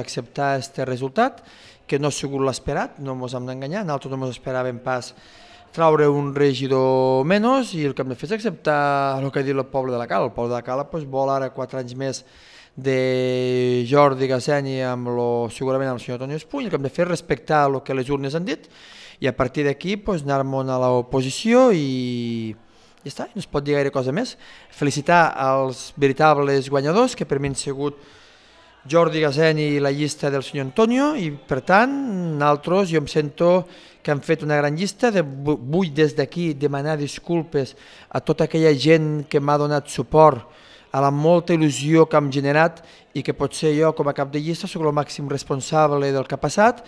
acceptar aquest resultat, que no ha sigut l'esperat, no ens hem d'enganyar, nosaltres no ens esperàvem pas traure un regidor menys i el que hem de fer és acceptar el que ha dit el poble de la Cala. El poble de la Cala vol ara 4 anys més de Jordi Gasseni segurament amb el senyor Toni Espuny. El que hem de fer és respectar el que les urnes han dit i a partir d'aquí anar-me'n a l'oposició i ja està, no es pot dir gaire cosa més. Felicitar els veritables guanyadors, que per mi han sigut Jordi Gasseni i la llista del senyor Antonio, i per tant, nosaltres, jo em sento que han fet una gran llista. Vull des d'aquí demanar disculpes a tota aquella gent que m'ha donat suport, a la molta il·lusió que hem generat i que potser jo com a cap de llista soc el màxim responsable del que ha passat.